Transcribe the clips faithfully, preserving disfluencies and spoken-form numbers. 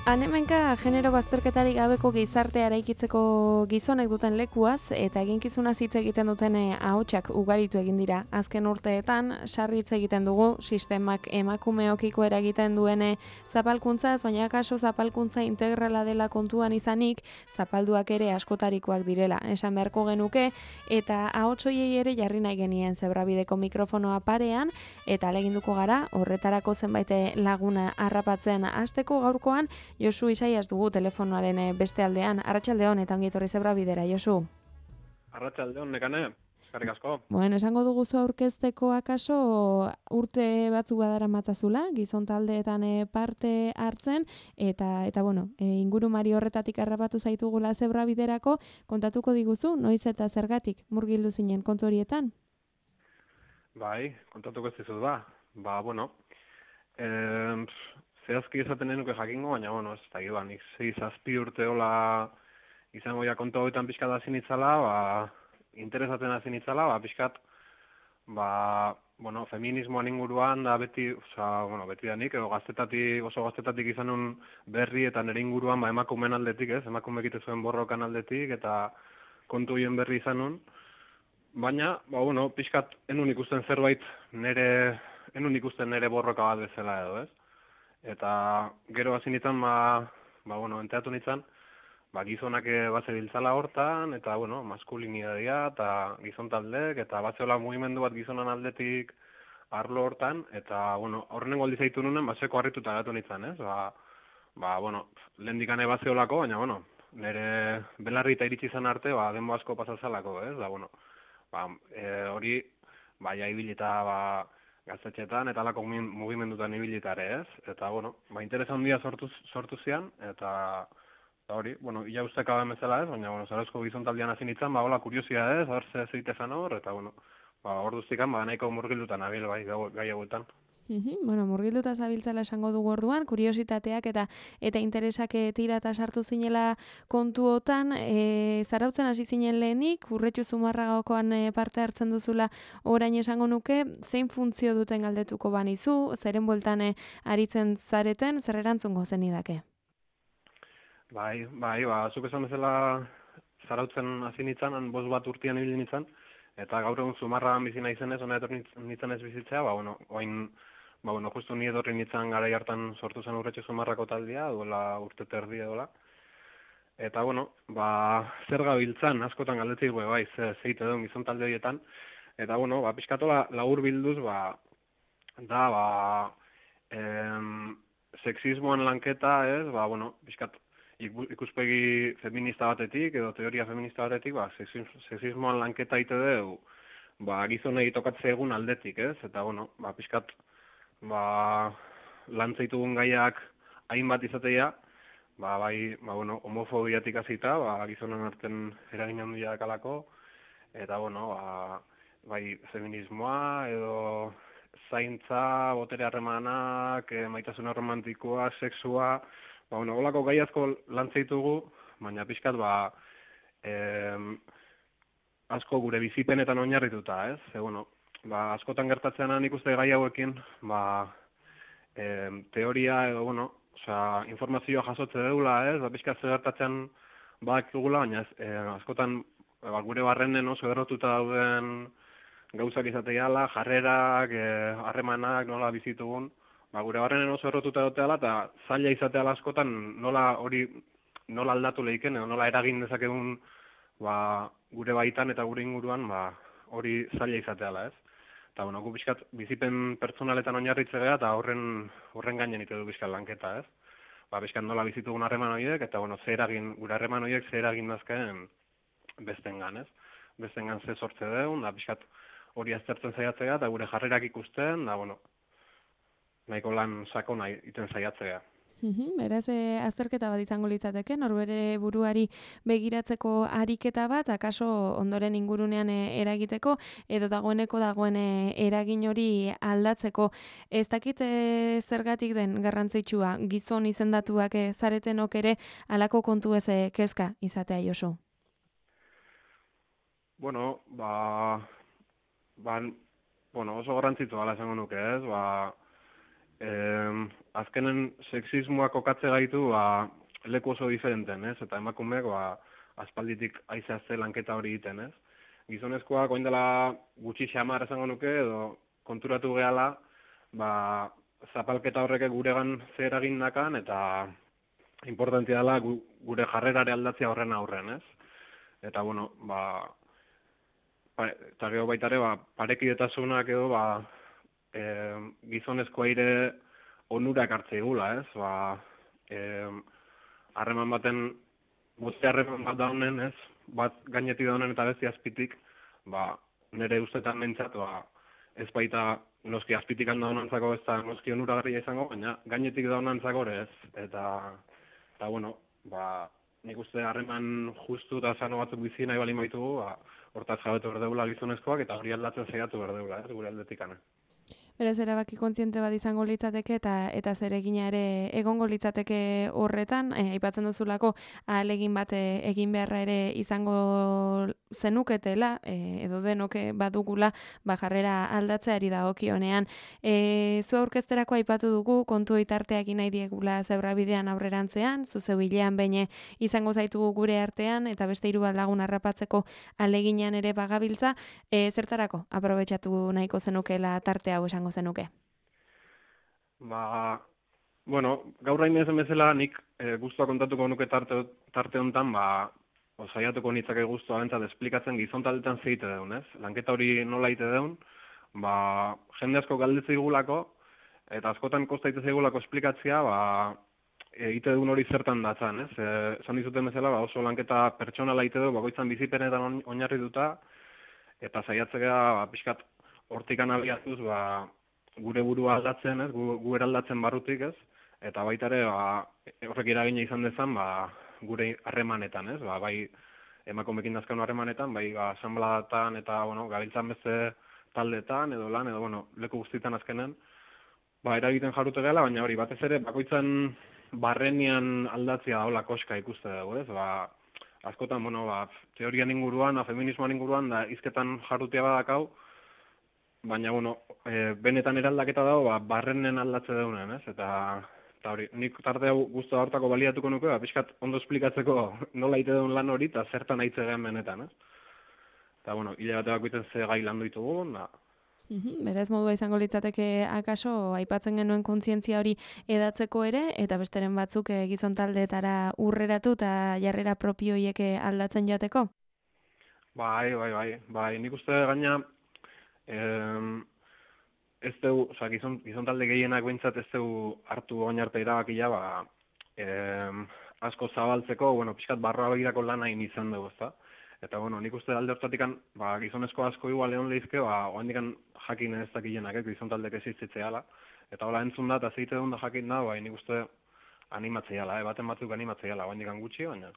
Hanemenka genero bazterketarik gabeko gizartea eraikitzeko gizonek duten lekuaz eta eginkizuna hitz egiten duten ahotsak ugaritu egin dira. Azken urteetan sarri hitz egiten dugu sistemak emakumeokiko eragiten duen zapalkuntzaz, baina kaso zapalkuntza integrala dela kontuan izanik, zapalduak ere askotarikoak direla. Esan beharko genuke eta ahots hoiei ere jarri nahi genien Zebrabideko mikrofonoa parean eta ahaleginduko gara horretarako zenbait laguna harrapatzen hasteko gaurkoan Josu Isaias dugu telefonoaren beste aldean. Arratsaldeon eta ongi etorri Zebrabidera, Josu. Arratsaldeon, Nekane. Eskerrik asko. Bueno, esango dugu zu aurkezteko akaso urte batzuk badara matzazula, gizon taldeetan parte hartzen eta eta bueno, e, ingurumari horretatik harrapatu zaitugula Zebrabiderako, kontatuko diguzu noiz eta zergatik murgildu zinen kontu horietan? Bai, kontatuko ez dizut ba. Ba, bueno, eh, zehazki esaten denuke jakingo, baina, bueno, ez da, ba, nik zei zazpi urte hola izango ja kontu hauetan pixkat hasi nitzala, ba, interesatzen hasi nitzala, ba, pixkat, ba, bueno, feminismoan inguruan da beti, oza, bueno, beti da nik, edo gaztetatik, oso gaztetatik izan nun berri eta nire inguruan, ba, emakumeen aldetik, ez, emakumeek ite zuen borrokan aldetik, eta kontu hien berri izan nun, baina, ba, bueno, pixkat, enun ikusten zerbait nire, enun ikusten nire borroka bat bezala edo, ez? Eta gero hasi nintzen, ba, ba, bueno, enteatu nintzen, ba, gizonak bat zebiltzala hortan, eta, bueno, maskulinidadia, eta gizon taldek, eta bat zeola mugimendu bat gizonan aldetik arlo hortan, eta, bueno, horren goldi zaitu nunen, ba, seko harrituta gatu nintzen, ez? Ba, ba, bueno, lehen dikane bat zeolako, baina, bueno, nire belarri eta iritsi izan arte, ba, denbo asko pasazalako, ez? Da, bueno, ba, e, hori, ba, ja ibilita, ba, gaztetxetan eta alako mugimendutan ibilitare, ez? Eta, bueno, ba, interesa handia sortu, sortu zian, eta, eta hori, bueno, ia usteka da bezala ez, baina, bueno, Zarauzko gizontaldian hasi nintzen, ba, hola, kuriosia ez, hor ze zeitezan hor, eta, bueno, ba, hor duztikan, ba, nahiko murgildutan abil, bai, gai hauetan. Bueno, murgilduta zabiltzala esango dugu orduan, kuriositateak eta eta interesak tirata sartu zinela kontuotan, e, zarautzen hasi zinen lehenik, Urretxu Zumarragakoan e, parte hartzen duzula orain esango nuke, zein funtzio duten galdetuko banizu, zeren bueltan e, aritzen zareten, zer erantzungo zenidake? Bai, bai, ba, zuk esan bezala zarautzen hasi nintzen, bost bat urtean ibili nintzen, eta gaur egun Zumarragan bizi naizenez, hona etorri nintzen ez bizitzea, ba, bueno, oin, ba, bueno, justu ni etorri nintzen garai hartan sortu zen Urretxu Zumarrako taldea, duela urte terdi edola. Eta, bueno, ba, zer gabiltzan, askotan galdetik, bai, ze, zeite duen gizon talde horietan. Eta, bueno, ba, pixkatola lagur bilduz, ba, da, ba, em, sexismoan lanketa, ez, ba, bueno, pixkat, ikuspegi feminista batetik, edo teoria feminista batetik, ba, sexismoan lanketa ite dugu, ba, gizonei tokatze egun aldetik, ez? Eta, bueno, ba, pixkat, ba, lantzaitugun gaiak hainbat izatea, ba, bai, ba, bueno, homofobiatik hasita, ba, gizonen arten eragin handia dakalako, eta, bueno, ba, bai, feminismoa, edo zaintza, botere harremanak, e, maitasun romantikoa, sexua, ba, bueno, holako gai asko lantzaitugu, baina pixkat, ba, em, asko gure bizipenetan oinarrituta, ez? E, bueno, ba, askotan gertatzean nik uste gai hauekin, ba, em, teoria edo, bueno, osea, informazioa jasotze deula, ez? Ba, pixkat zer gertatzen badakigula, baina ez, e, askotan ba, gure barrenen oso errotuta dauden gauzak izateala, jarrerak, harremanak, nola bizitugun, ba, gure barrenen oso errotuta dateala, eta zaila izateala askotan nola hori nola aldatu lehiken, edo nola eragin dezakegun ba, gure baitan eta gure inguruan ba, hori zaila izateala, ez? Eta, bueno, gu bizkat bizipen pertsonaletan oinarritze gara, eta horren, horren gainen ite du bizkat lanketa, ez? Ba, bizkat nola bizitugun harreman horiek, eta, bueno, ze eragin, gure harreman horiek ze eragin dazken bestengan, ez? Bestengan ze sortze deun, da bizkat hori aztertzen saiatzea, eta gure jarrerak ikusten, da, bueno, nahiko lan sakona iten saiatzea. Beraz, e, azterketa bat izango litzateke, norbere buruari begiratzeko ariketa bat, akaso ondoren ingurunean e, eragiteko, edo dagoeneko dagoen e, eragin hori aldatzeko. Ez dakit e, zergatik den garrantzitsua, gizon izendatuak e, zaretenok ere halako kontu ez e, kezka izatea, Josu? Bueno, ba, ba, bueno, oso garrantzitsua ala esango nuke, ez? Ba, eh, azkenen sexismoak kokatze gaitu ba, leku oso diferenten, ez? Eta emakumeak ba, aspalditik aizeazte lanketa hori egiten, ez? Gizonezkoak orain dela gutxi xamar esango nuke, edo konturatu gehala, ba, zapalketa horrek guregan zer egin nakan, eta importantia dela gu, gure jarrerare aldatzea horren aurren, ez? Eta, bueno, ba, pa, eta gero baitare, ba, parekidetasunak edo, ba, e, gizonezko aire onurak hartzea igula, ez? Ba, e, harreman baten, boste harreman bat daunen, ez? Bat gainetik daunen eta beste azpitik, ba, nire ustetan mentzat, ba, ez baita noski azpitik handaunantzako ez da noski onuragarria izango, baina gainetik daunantzako ere ez. Eta, eta bueno, ba, nik uste harreman justu eta sano batzuk bizi nahi bali maitugu, ba, hortaz jabetu berdeula gizonezkoak eta hori aldatzen zeiatu berdeula, ez, gure aldetikana. Beraz, erabaki kontziente bat izango litzateke eta eta zeregina ere egongo litzateke horretan, eh, aipatzen duzulako ahalegin bat eh, egin beharra ere izango zenuketela, eh, edo denoke badugula ba jarrera aldatzeari dagokionean. Eh, zu aurkezterako aipatu dugu kontu itarteak nahi diegula zebrabidean aurrerantzean, zu zeubilean behin izango zaitugu gure artean eta beste hiru bat lagun harrapatzeko ahaleginean ere bagabiltza, eh, zertarako aprobetxatu nahiko zenukela tarte hau esango zenuke? Ba, bueno, gaur hain ezen bezala nik e, guztua kontatuko nuke tarte, tarte honetan, ba, saiatuko nitzake guztua bentsat esplikatzen gizon taldetan zeite deun, ez? Lanketa hori nola ite deun, ba, jende asko galdetze digulako, eta askotan kostaite zeigulako esplikatzea, ba, egite deun hori zertan datzan, ez? E, zan dizuten bezala, ba, oso lanketa pertsonala ite du, bakoitzan bizipenetan oinarrituta, eta saiatzea, ba, pixkat, hortikan abiatuz, ba, gure burua aldatzen, ez, gu, gu eraldatzen barrutik, ez, eta baita ere, ba, horrek eragina izan dezan, ba, gure harremanetan, ez, ba, bai emakumeekin dazkanu harremanetan, bai ba, asanbladatan eta, bueno, gabiltzan beste taldetan, edo lan, edo, bueno, leku guztietan azkenen, ba, eragiten jarrute gela, baina hori, batez ere, bakoitzan barrenian aldatzea daula koska ikuste dugu, ez, ba, askotan, bueno, ba, teorian inguruan, feminismoan inguruan, da, izketan jarrutea badakau, baina, bueno, e, benetan eraldaketa dago, ba, barrenen aldatze daunen, ez? Eta, eta hori, nik tarte hau guztu hortako baliatuko nuke, ba, pixkat ondo esplikatzeko nola ite duen lan hori, eta zertan aitze gehen benetan, ez? Eta, bueno, hile bat ebakuiten ze gai landu ditugu, da. Uhum, berez modua izango litzateke akaso aipatzen genuen kontzientzia hori edatzeko ere, eta besteren batzuk e, gizon taldeetara urreratu eta jarrera propioiek aldatzen jateko? Bai, bai, bai, bai, nik uste gaina, Eh, ez dugu, oza, gizon, gizon talde gehienak behintzat ez dugu hartu oin arte erabakia, ba, eh, asko zabaltzeko, bueno, pixkat barroa begirako lan hain izan dugu, ezta? Eta, bueno, nik uste alde hortatikan, ba, gizonezko asko igual egon lehizke, ba, oandikan jakin ez dakienak, eh, gizon taldek existitzea ala. Eta hola entzun da, eta zeite duen da jakin da, ba, nik uste animatzea ala, eh, baten batzuk animatzea ala, oandikan gutxi, baina.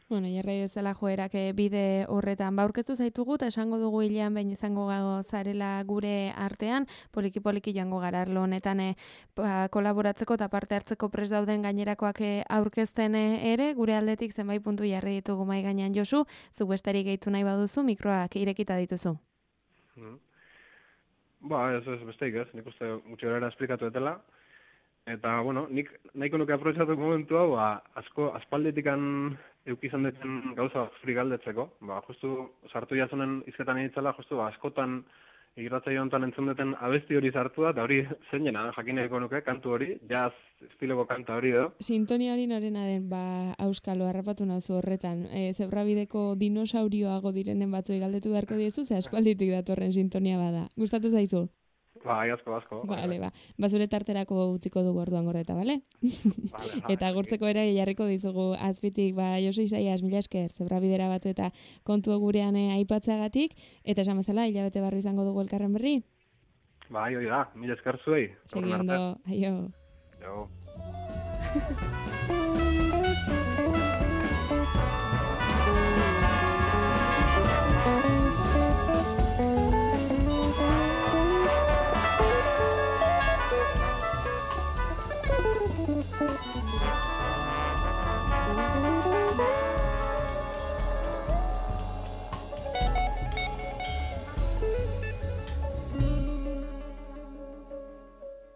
Bueno, jarrai ezela joerak bide horretan baurkeztu zaitugu eta esango dugu hilean behin izango zarela gure artean, poliki poliki joango gara arlo honetan e, ba, kolaboratzeko eta parte hartzeko prest dauden gainerakoak aurkezten ere, gure aldetik zenbait puntu jarri ditugu mai gainean Josu, zuk besterik gehitu nahi baduzu, mikroak irekita dituzu. Hmm. Ba, ez ez besteik ez, nik uste gutxi gara esplikatu etela. Eta, bueno, nik nahiko nuke aprobetxatu momentu hau, ba, asko aspaldetikan eukizan detzen gauza zuri galdetzeko. Ba, justu sartu jazunen izketan egitzela, justu ba, askotan irratzaio honetan entzun duten abesti hori sartu da, eta hori zeinena, jakineko nuke, kantu hori, jazz estiloko kanta hori edo. Sintonia hori norena den, ba, auskalo, harrapatu nauzu horretan. E, zebrabideko dinosaurioago direnen batzoi galdetu beharko diezu, ze aspalditik datorren sintonia bada. Gustatu zaizu? Ba, asko, asko. Bale, ba. Bazure tarterako utziko dugu orduan gordeta, bale? Vale, eta gurtzeko ere jarriko dizugu azpitik, ba, Josu Isaias, mila esker, zebrabidera batu eta kontu gurean aipatzeagatik, eta esan bezala, hilabete barri izango dugu elkarren berri? Ba, hori da, mila esker zuei. Segi ondo, aio. Jo. Thank you.